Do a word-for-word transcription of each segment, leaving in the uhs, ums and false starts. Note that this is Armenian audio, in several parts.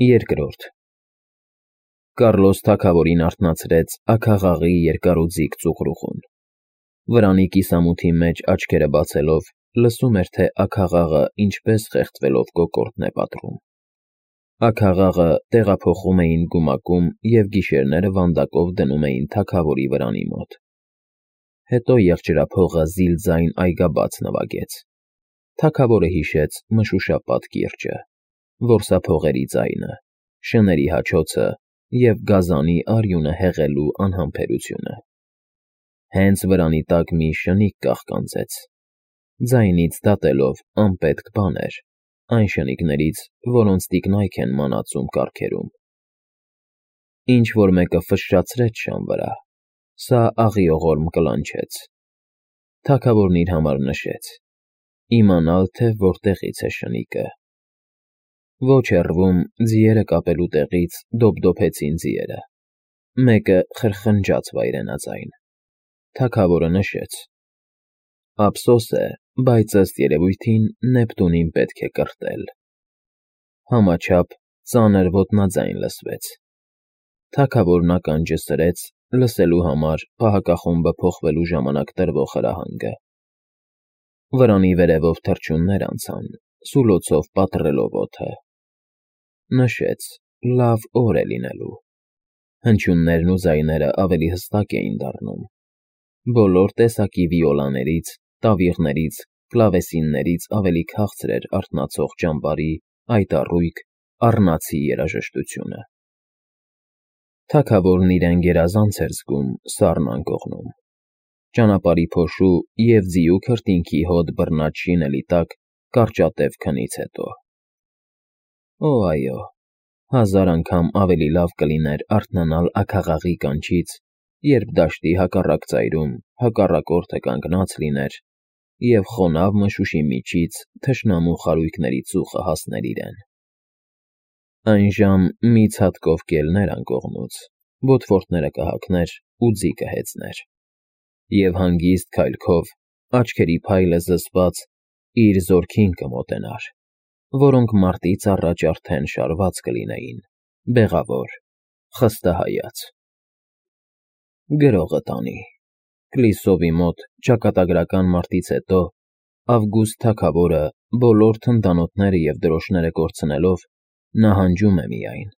Երկրորդ Կառլոս թագավորին արթնացրեց աքաղաղի երկարուձիգ ծուխրուխուն։ Վրանի կիսամութի մեջ աչքերը բացելով լսում էր, թե աքաղաղը ինչպես խեղդվելով կոկորդն է պատռում։ Աքաղաղը տեղափոխում էին գումակում և գիշերները վանդակով դնում էին թագավորի վրանի մոտ։ Հետո եղջերափողը զիլ ձայն այգաբաց նվագեց։ Թագավորը հիշեց մշուշապատ կիրճը, որսափողերի ձայնը, շների հաչոցը և գազանի արյունը հեղելու անհամբերությունը։ Հենց վրանի տակ մի շնիկ կաղկանձեց, ձայնից դատելով անպետք բան էր, այն շնիկներից, որոնց տիկնայք են մանածում կառքերում։ Ինչ-որ մեկը ֆշշացրեց շան վրա, սա աղիողորմ կլանչեց։ Թագավորն իր համար նշեց. իմանալ, թե որտեղից է շնիկը։ Ոչ հեռվում, ձիերը կապելու տեղից դոփդոփեցին ձիերը։ Մեկը խրխնջաց վայրենաձայն։ Թագավորը նշեց. ափսոս է, բայց ըստ երևույթին Նեպտունին պետք է կրտել։ Համաչափ ծանր ոտնաձայն լսվեց։ Թագավորն ականջը սրեց, լսելու համար պահակախումբը փոխվելու ժամանակ տրվող հրահանգը։ Վրանի վերևով թռչուններ անցան, սուլոցով պատռելով օդը։ Նշեց. լավ օր է լինելու։ Հնչյուններն ու ձայները ավելի հստակ էին դառնում։ Բոլոր տեսակի վիոլաներից, տավիղներից, կլավեսիններից ավելի քաղցր էր արթնացող ճամբարի, այտառույք, առնացի երաժշտությունը։ Թագավորն իրեն գերազանց էր զգում սառն անկողնում։ Ճանապարհի փոշու և ձիու քրտինքի հոտ բռնած շինելի տակ կարճատև քնից հետո։ Օ, այո, հազար անգամ ավելի լավ կլիներ արթնանալ աքաղաղի կանչից, երբ դաշտի հակառակ ծայրում հակառակորդը կանգնած լիներ, և խոնավ մշուշի միջից թշնամու խարույկների ծուխը հասներ իրեն։ Այն ժամ մի ցատկով կելներ անկողնուց, ոտվորդները կհագներ ու ձի կհեծներ, և հանգիստ քայլքով, աչքերի փայլը զսպած, իր զորքին կմոտենար, որոնք մարտից առաջ արդեն շարված կլինեին, բեղավոր, խստահայաց։ Գրողը տանի։ Կլիսովի մոտ ճակատագրական մարտից հետո Ավգուստ թագավորը բոլոր թնդանոթները և դրոշները կորցնելով նահանջում է միայն։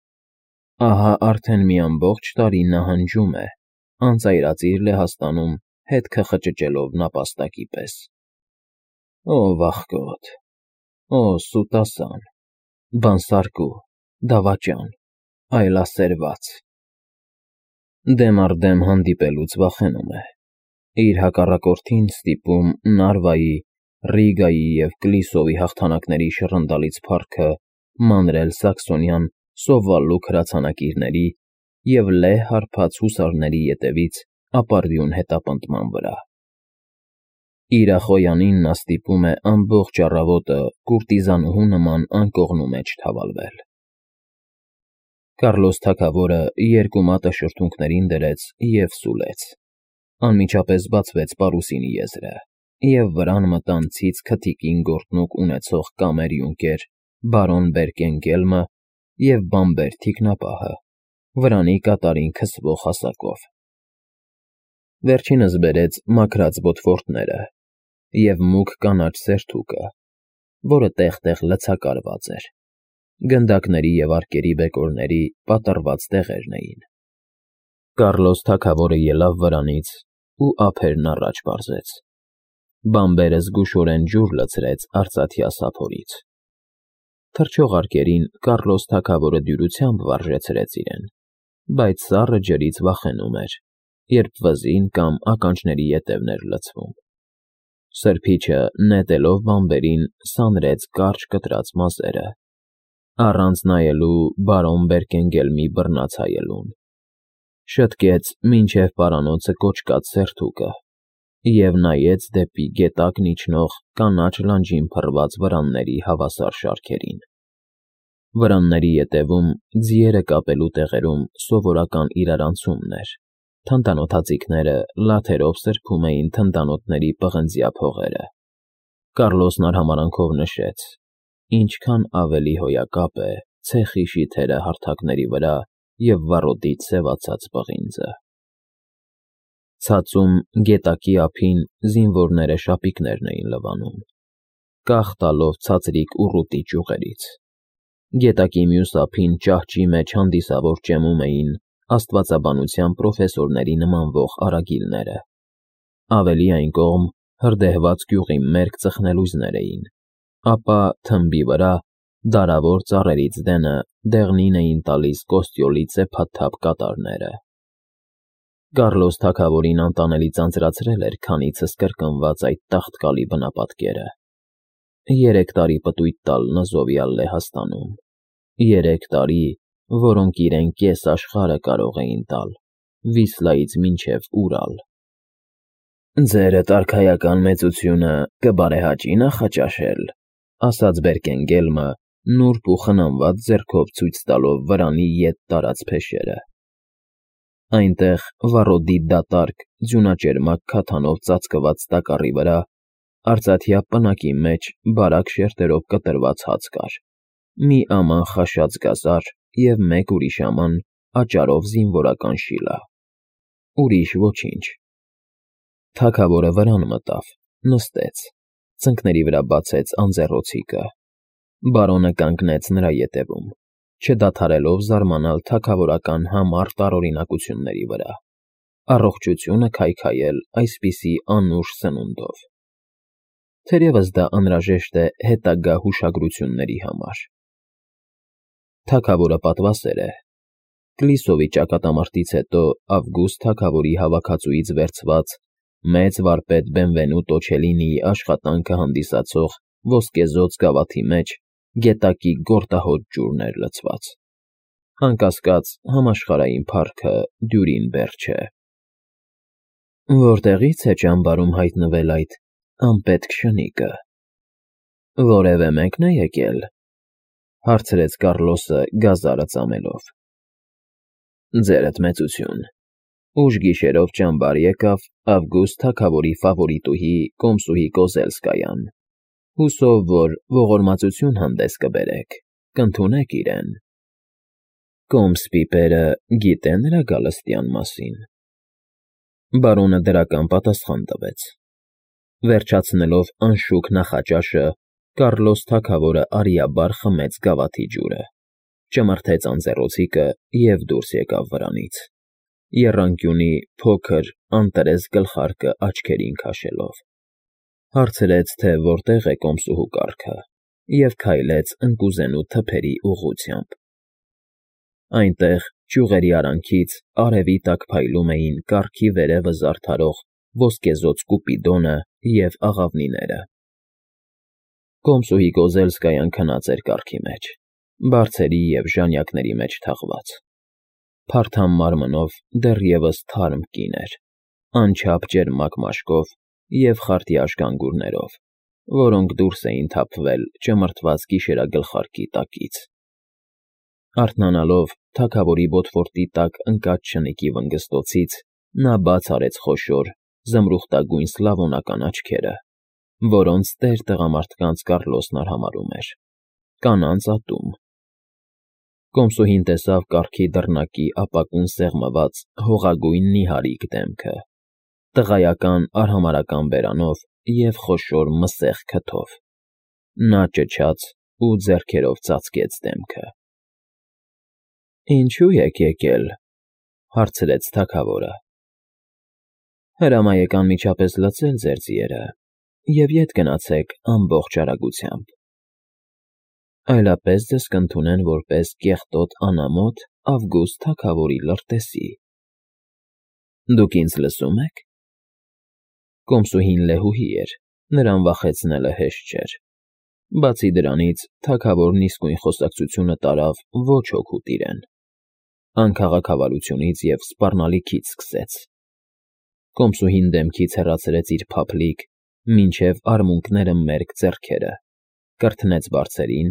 Ահա արդեն մի ամբողջ տարի նահանջում է, անծայրածիր Լեհաստանում հետքը խճճելով նապաստակի պես։ Օ, վախկոտ, օ, սուտասան, բանսարկու, դավաճան, այլասերված։ Դեմ առ դեմ հանդիպելուց վախենում է։ Իր հակառակորդին ստիպում Նարվայի, Ռիգայի և Կլիսովի հաղթանակների շռնդալից փառքը մանրել սաքսոնյան սովվալլուք հրացանակիրների և լեհ հարբած հուսարների ետևից ապարդյուն հետապնդման վրա։ Իրախոյանին նա ստիպում է ամբողջ առավոտը կուրտիզանուհու նման անկողնու մեջ թավալվել։ Կառլոս թագավորը երկու մատը շրթունքներին դրեց և սուլեց։ Անմիջապես բացվեց պարուսինի եզրը, և վրան մտան ցից քթիկին գորտնուկ ունեցող կամեր յունկեր բարոն Բերկենգելմը և բամբեր թիկնապահը, վրանի կատարին քսվող հասակով։ Վերջինս բերեց մաքրած բոթվորդները և մուգ կանաչ սերթուկը, որը տեղ֊տեղ լցակարված էր, գնդակների և արկերի բեկորների պատռված տեղերն էին։ Կառլոս թագավորը ելավ վրանից ու ափերն առաջ պարզեց։ Բամբերը զգուշորեն ջուր լցրեց արծաթյա սափորից։ Թռչող արկերին Կառլոս թագավորը դյուրությամբ վարժեցրեց իրեն, բայց սառը ջրից վախենում էր, երբ վզին կամ ականջների ետևն էր լցվում։ Սրբիչը, նետելով բամբերին, սանրեց կարճ կտրած մազերը, առանց նայելու բարոն Բերկենգելմի բռնած հայելուն, շտկեց մինչև պարանոցը կոճկած սերթուկը և նայեց դեպի գետակն իջնող կանաչ լանջին փռված վրանների հավասար շարքերին։ Վրանների ետևում, ձիերը կապելու տեղերում սովորական իրարանցումն էր, թնդանոթաձիգները լաթերով սրբում էին թնդանոթների պղնձյա փողերը։ Կառլոսն արհամարհանքով նշեց. ինչքան ավելի հոյակապ է, ցեխի շիթերը հարթակների վրա և վառոդից սևացած պղինձը։ Ցածում գետակի ափին զինվորները շապիկներն էին լվանում, կախ տալով ցածրիկ ուռուտի ճյուղերից։ Գետակի մյուս ափին ճահճի մեջ հանդիսավոր ճեմում էին աստվածաբանության պրոֆեսորների նմանվող արագիլները։ Ավելի այն կողմ հրդեհված գյուղի մերկ ծխնելույզներ էին, ապա թմբի վրա դարավոր ծառերից դենը դեղնին էին տալիս կոստյոլի ծեփաթափ կատարները։ Կառլոս թագավորին անտանելի ձանձրացրել էր քանիցս կրկնված այդ տաղտկալի բնապատկերը։ Երեք տարի պտույտ տալ Նզովյալ Լեհաստանում, երեք տարի, որոնք իրեն կես աշխարհը կարող էին տալ, Վիսլայից մինչևՈւրալ։ «Ձերդ արքայական մեծությունը կբարեհաճի նախաճաշել», ասաց Բերկենգելմը, նուրբ ու խնամված ձեռքով ցույց տալով վրանի ետ տարած փեշերը։ Այնտեղ, վառոդի դատարկ, ձյունաճերմակ քաթանով ծածկված տակառի վրա, արծաթյա պնակի մեջ բարակ շերտերով կտրված հաց կար, մի աման խաշած գազար և մեկ ուրիշ աման աճարով զինվորական շիլա։ Ուրիշ ոչինչ։ Թագավորը վրան մտավ, նստեց, ծնկների վրա բացեց անձեռոցիկը։ Բարոնը կանգնեց նրա ետևում, չդադարելով զարմանալ թագավորական համառ տարօրինակությունների վրա, առողջությունը քայքայել այսպիսի անուշ սնունդով։ Թերևս դա անհրաժեշտ է հետագա հուշագրությունների համար։ Թագավորը պատվասեր է։ Կլիսովի ճակատամարտից հետո Ավգուստ թագավորի հավաքածուից վերցված մեծ վարպետ Բենվենուտո Չելինիի աշխատանքը հանդիսացող ոսկեզօծ գավաթի մեջ գետակի գորտահոտ ջուրն էր լցված։ Անկասկած, համաշխարհային փառքը Դյուրին Բերջ է։ Որտեղի՞ց է ճամբարում հայտնվել այդ անպետք շնիկը։ Որևէ մեկն է եկել, հարցրեց Կառլոսը գազարը ծամելով։ Ձերդ մեծություն, ուշ գիշերով ճամբար եկավ Ավգուստ թագավորի ֆավորիտուհի Կոմսուհի Կոզելսկայան, հուսով, որ ողորմածություն հանդես կբերեք, կընդունեք իրեն։ Կոմս պիպերը գիտե՞ նրա գալստյան մասին։ Բարոնը դրական պատասխան տվեց։ Վերջացնելով անշուք նախաճաշը, Կառլոս թագավորը արիաբար խմեց գավաթի ջուրը, ճմրթեց անձեռոցիկը և դուրս եկավ վրանից, եռանկյունի փոքր, անտրես գլխարկը աչքերին քաշելով։ Հարցրեց, թե որտեղ է կոմսուհու կառքը, և քայլեց ընկուզենու թփերի ուղղությամբ։ Այնտեղ, ճյուղերի արանքից, արևի տակ փայլում էին կառքի վերևը զարդարող ոսկեզօծ Կուպիդոնը և աղավնիները։ Կոմսուհի Կոզելսկայան քնած էր կառքի մեջ, բարձերի և ժանյակների մեջ թաղված։ Փարթամ մարմնով դեռևս թարմ կին էր, անչափ ճերմակ մաշկով և խարտյաշ գանգուրներով, որոնք դուրս էին թափվել ճմրթված գիշերագլխարկի տակից։ Արթնանալով թագավորի բոթվորտի տակ ընկած շնիկի վնգստոցից, նա բաց արեց խոշոր, զմրուխտագույն սլավոնական աչքերը, որոնց տեր տղամարդկանց Կառլոսն արհամարհում էր, կանանց ատում։ Կոմսուհին տեսավ կառքի դռնակի ապակուն սեղմված հողագույն նիհարիկ դեմքը, տղայական արհամարհական բերանով և խոշոր մսեղ քթով։ Նա ճչաց ու ձեռքերով ծածկեց դեմքը։ Ինչո՞ւ եք եկել, հարցրեց թագավորը։ Հրամայեք անմիջապես լցել ձեր ձիերը և ետ գնացեք ամբողջ արագությամբ։ Այլապես ձեզ կընդունեն որպես կեղտոտ անամոթ Ավգուստ թագավորի լրտեսի։ Դուք ինձ լսո՞ւմ եք։ Կոմսուհին լեհուհի էր, նրան վախեցնելը հեշտ չէր։ Բացի դրանից, թագավորն իսկույն խոսակցությունը տարավ ոչ օգուտ իրեն։ Անքաղաքավարությունից և սպառնալիքից սկսեց։ Կոմսուհին դեմքից հեռացրեց իր փափլիկ, մինչև արմունկները մերկ ձեռքերը, կրթնեց բարձրին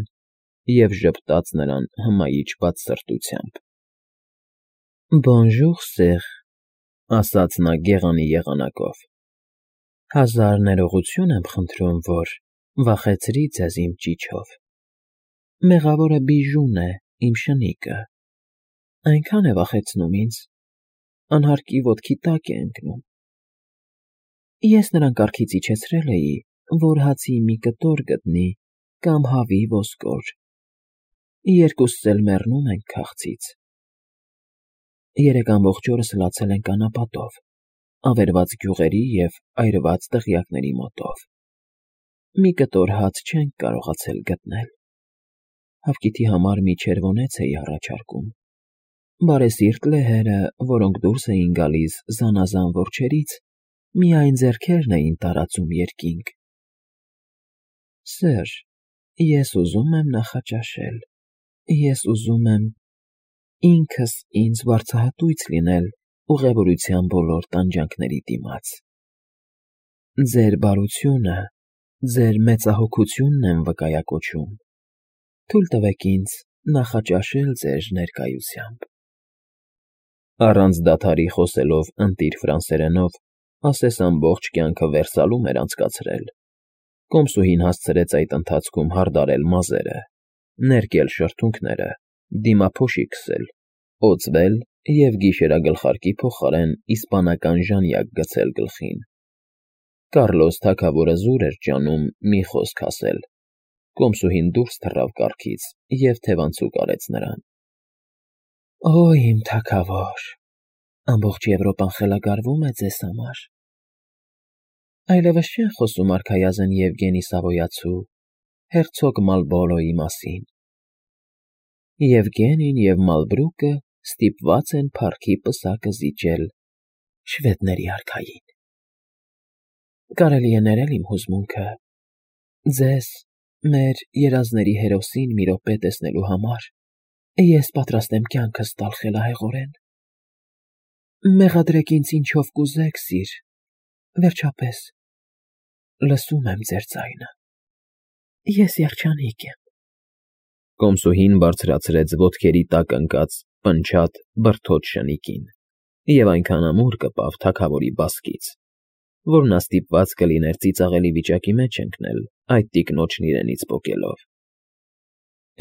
և ժպտաց նրան հմայիչ բացսրտությամբ։ Բոնժուր, սեր, ասաց նա գեղանի եղանակով։ Հազար ներողություն եմ խնդրում, որ վախեցրի ձեզ իմ ճիչով։ Մեղավորը Բիժուն է, իմ շնիկը, այնքան է վախեցնում ինձ, անհարկի ոտքի տակ է ընկնում։ Ես նրան կառքից իջեցրել էի, որ հացի մի կտոր գտնի կամ հավի ոսկոր, երկուսս էլ մեռնում ենք քաղցից։ Երեք ամբողջ օրս լացել ենք անապատով, ավերված գյուղերի և այրված դղյակների մոտով, մի կտոր հաց չենք կարողացել գտնել։ Հավկիթի համար մի չերվոնեց էի առաջարկում, բարեսիրտ լեհերը, որոնք դուրս էին գալիս զանազան որջերից, միայն ձեռքերն էին տարածում երկինք։ Սըր, ես ուզում եմ նախաճաշել, ես ուզում եմ ինքս ինձ վարձահատույց լինել ուղևորության բոլոր տանջանքների դիմաց։ Ձեր բարությունը, ձեր մեծահոգությունն եմ վկայակոչում, թույլ տվեք ինձ նախաճաշել ձեր ներկայությամբ։ Առանց դադարի խոսելով ընտիր ֆրանսերենով, ասես ամբողջ կյանքը Վերսալում էր անցկացրել, կոմսուհին հասցրեց այդ ընթացքում հարդարել մազերը, ներկել շրթունքները, դիմափոշի քսել, օձվել և գիշերագլխարկի փոխարեն իսպանական ժանյակ գցել գլխին։ Կառլոս թագավորը զուր էր ջանում մի խոսք ասել, կոմսուհին դուրս թռավ կառքից և թևանցուկ արեց նրան։ Օ, իմ թագավոր, ամբողջ Եվրոպան խելագարվում է ձեզ համար։ Այլևս չեն խոսում արքայազն Եվգենի Սավոյացու, հերցոգ Մալբորոյի մասին։ Եվգենին և Մալբրուկը ստիպված են փառքի պսակը զիջել շվեդների արքային։ Կարելի է ներել իմ հուզմունքը, ձեզ, մեր երազների հերոսին մի րոպե տեսնելու համար ես պատրաստ եմ կյանքս տալ խելահեղորեն։ Մեղադրեք ինձ ինչով կուզեք, սիր, վերջապես, լսում եմ ձեր ձայնը, ես երջանիկ եմ։ Կոմսուհին բարձրացրեց ոտքերի տակ ընկած պնչատ բրդոտ շնիկին և այնքան ամուր կպավ թագավորի բասկից, որ նա ստիպված կլիներ ծիծաղելի վիճակի մեջ ընկնել այդ տիկնոջն իրենից պոկելով։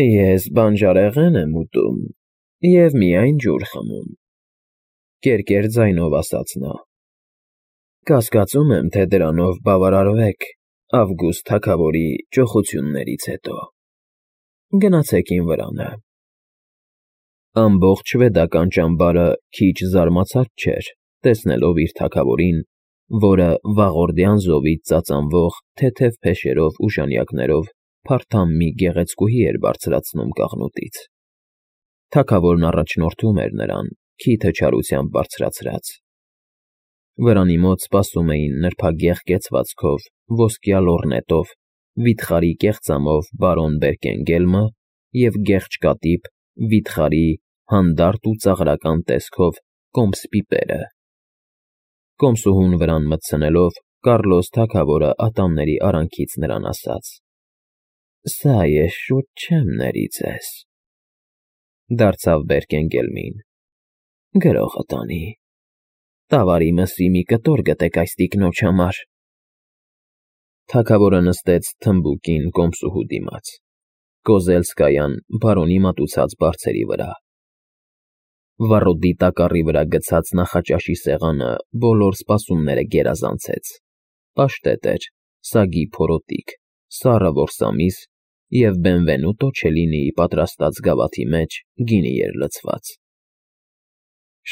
Ես բանջարեղեն եմ ուտում և միայն ջուր խմում, կերկեր ձայնով ասաց նա։ Կասկածում եմ, թե դրանով բավարարվեք Ավգուստ թագավորի ճոխություններից հետո։ Գնացեք իմ վրանը։ Ամբողջ շվեդական ճամբարը քիչ զարմացած չէր, տեսնելով իր թագավորին, որը վաղորդյան զովից ծածանվող թեթև փեշերով ու ժանյակներով փարթամ մի գեղեցկուհի էր բարձրացնում կաղնուտից։ Թագավորն առաջնորդում էր նրան, քիթը չարությամբ բարձրացրած։ Վրանի մոտ սպասում էին նրբագեղ կեցվածքով, ոսկյա լոռնետով, վիթխարի կեղծամով բարոն Բերկենգելմը և գեղչկատիպ, վիթխարի, հանդարտ ու ծաղրական տեսքով կոմս պիպերը։ Կոմսուհուն վրան մտցնելով, Կառլոս թագավորը ատամների արանքից նրան ասաց. Սա ես շուտ չեմ ների ձեզ։ Դարձավ Բերկենգելմին. Գրողը տանի։ Տավարի մսի մի կտոր գտեք այս տիկնոջ համար։ Թագավորը նստեց թմբուկին կոմսուհու դիմաց, Կոզելսկայան բարոնի մատուցած բարձերի վրա։ Վառոդի տակառի վրա գցած նախաճաշի սեղանը բոլոր սպասումները գերազանցեց, պաշտետ էր, սագի փորոտիք, սառը որսամիս և Բենվենուտո Չելինիի պատրաստած գավաթի մեջ գինի էր լցված։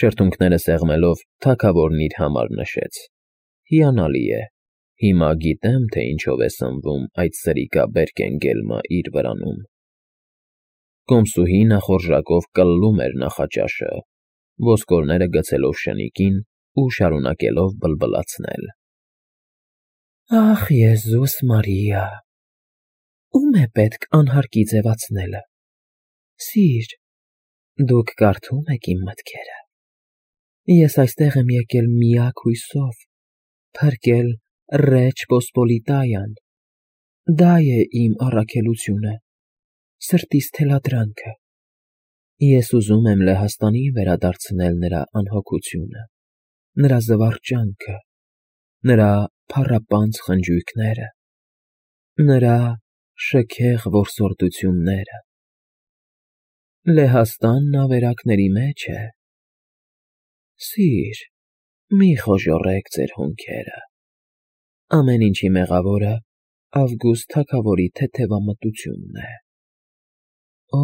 Շրթունքները սեղմելով, թագավորն իր համար նշեց. Հիանալի է, հիմա գիտեմ, թե ինչով է սնվում այդ սրիկա Բերկենգելմը իր վրանում։ Կոմսուհին ախորժակով կլլում էր նախաճաշը, ոսկորները գցելով շնիկին ու շարունակելով բլբլացնել։ Ախ, Եզուս Մարիա, ո՞ւմ է պետք անհարկի ձևացնելը։ Սիր, դուք կարդում եք իմ մտքերը։ Ես այստեղ եմ եկել միակ հույսով, փրկել Ռեչ Պոսպոլիտայան, դա է իմ առաքելությունը, սրտիս թելադրանքը։ Ես ուզում եմ Լեհաստանին վերադարձնել նրա անհոգությունը, նրա զվարճանքը, նրա փառապանծ խնջույքները, նրա շքեղ որսորդությունները։ Լեհաստանն ավերակների մեջ է։ Սիր, մի խոժոռեք ձեր հոնքերը։ Ամեն ինչի մեղավորը Ավգուստ թագավորի թեթևամտությունն է։ Օ,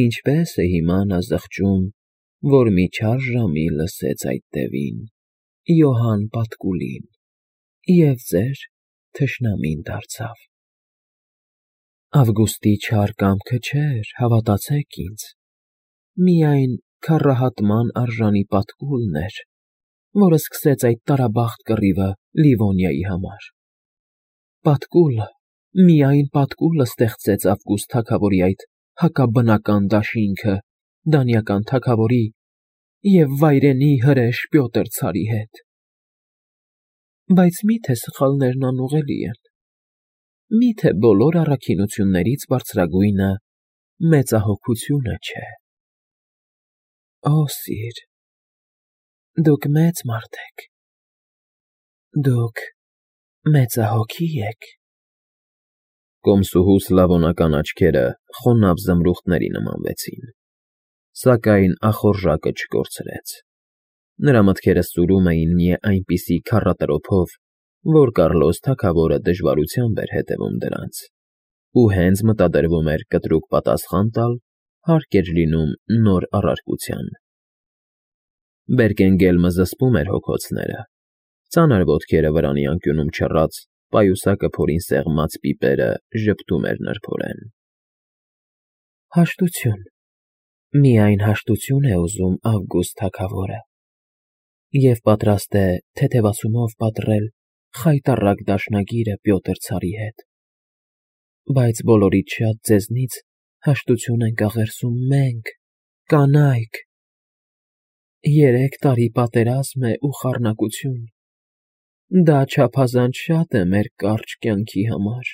ինչպես է հիմա նա զղջում, որ մի չար ժամի լսեց այդ տևին, Յոհան Պատկուլին, և ձեր թշնամին դարձավ։ Ավգուստի չար կամքը չէր, հավատացեք ինձ, միայն քառահատման արժանի Պատկուլն էր, որ սկսեց այդ տարաբախտ կռիվը Լիվոնիայի համար։ Պատկուլը, միայն Պատկուլը ստեղծեց Ավգուստ թագավորի այդ հակաբնական դաշինքը դանիական թագավորի և վայրենի հրեշ Պյոտր ցարի հետ։ Բայց մի՞թե սխալներն անուղղելի են, մի՞թե բոլոր առաքինություններից բարձրագույնը մեծահոգությունը չէ։ Օ, սիր, դուք մեծ մարդ եք, դուք մեծահոգի եք։ Կոմսուհու սլավոնական աչքերը խոնավ զմրուխտների նմանվեցին, սակայն ախորժակը չկորցրեց։ Նրա մտքերը սուրում էին մի այնպիսի քառատրոփով, որ Կառլոս թագավորը դժվարությամբ էր հետևում դրանց, ու հենց մտադրվում էր կտրուկ պատասխան տալ, հարկ էր լինում նոր առարկության։ Բերկենգելմը զսպում էր հոգոցները, ծանր ոտքերը վրանի անկյունում չռած, պայուսակը փորին սեղմած պիպերը ժպտում էր նրբորեն։ Հաշտություն, միայն հաշտություն է ուզում Ավգուստ թագավորը, և պատրաստ է թեթևացումով պատռել խայտառակ դաշնագիրը Պյոտր ցարի հետ, բայց բոլորից շատ ձեզնից հաշտություն ենք աղերսում մենք, կանայք։ Երեք տարի պատերազմ է ու խառնակություն, դա չափազանց շատ է մեր կարճ կյանքի համար։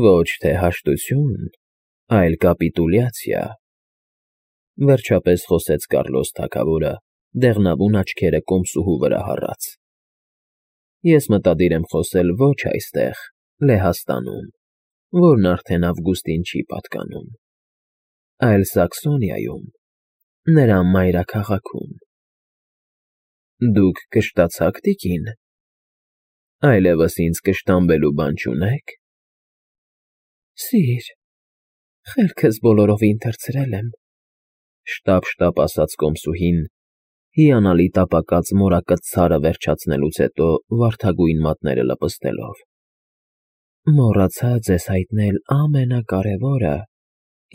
Ոչ թե հաշտություն, այլ կապիտուլյացիա, վերջապես խոսեց Կառլոս թագավորը, դեղնավուն աչքերը կոմսուհու վրա հառած։ Ես մտադիր եմ խոսել ոչ այստեղ, Լեհաստանում, որն արդեն Ավգուստին չի պատկանում, այլ Սաքսոնիայում, նրա մայրաքաղաքում։ Դուք կշտացա՞ք, տիկին, այլևս ինձ կշտամբելու բան չունե՞ք։ Սիր, խելքս բոլորովին թռցրել եմ, շտապ֊շտապ ասաց կոմսուհին, հիանալի տապակած մորակած ցարը վերջացնելուց հետո վարդագույն մատները լպստելով։ Մոռացա ձեզ հայտնել ամենակարևորը,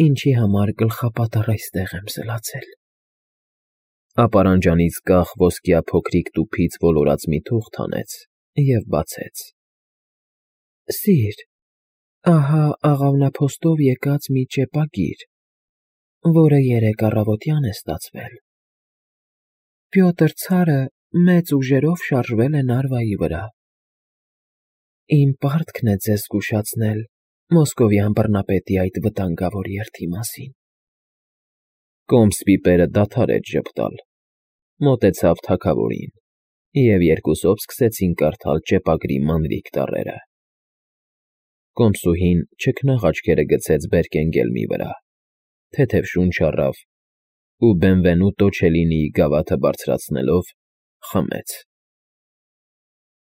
ինչի համար գլխապատառ այստեղ եմ սլացել։ Ապարանջանից կախ ոսկյա փոքրիկ տուփից ոլորած մի թուղթ հանեց և բացեց։ Սիր, ահա աղավնափոստով եկած մի ճեպագիր, որը երեկ առավոտյան է ստացվել։ Պյոտր ցարը մեծ ուժերով շարժվել է Նարվայի վրա։ Իմ պարտքն է ձեզ զգուշացնել մոսկովյան բռնապետի այդ վտանգավոր երթի մասին։ Կոմս պիպերը դադարեց ժպտալ, մոտեցավ թագավորին, և երկուսով սկսեցին կարդալ ճեպագրի մանրիկ տառերը։ Կոմսուհին չքնաղ աչքերը գցեց Բերկենգելմի վրա, թեթև շունչ առավ ու Բենվենուտո Չելինիի գավաթը բարձրացնելով խմեց։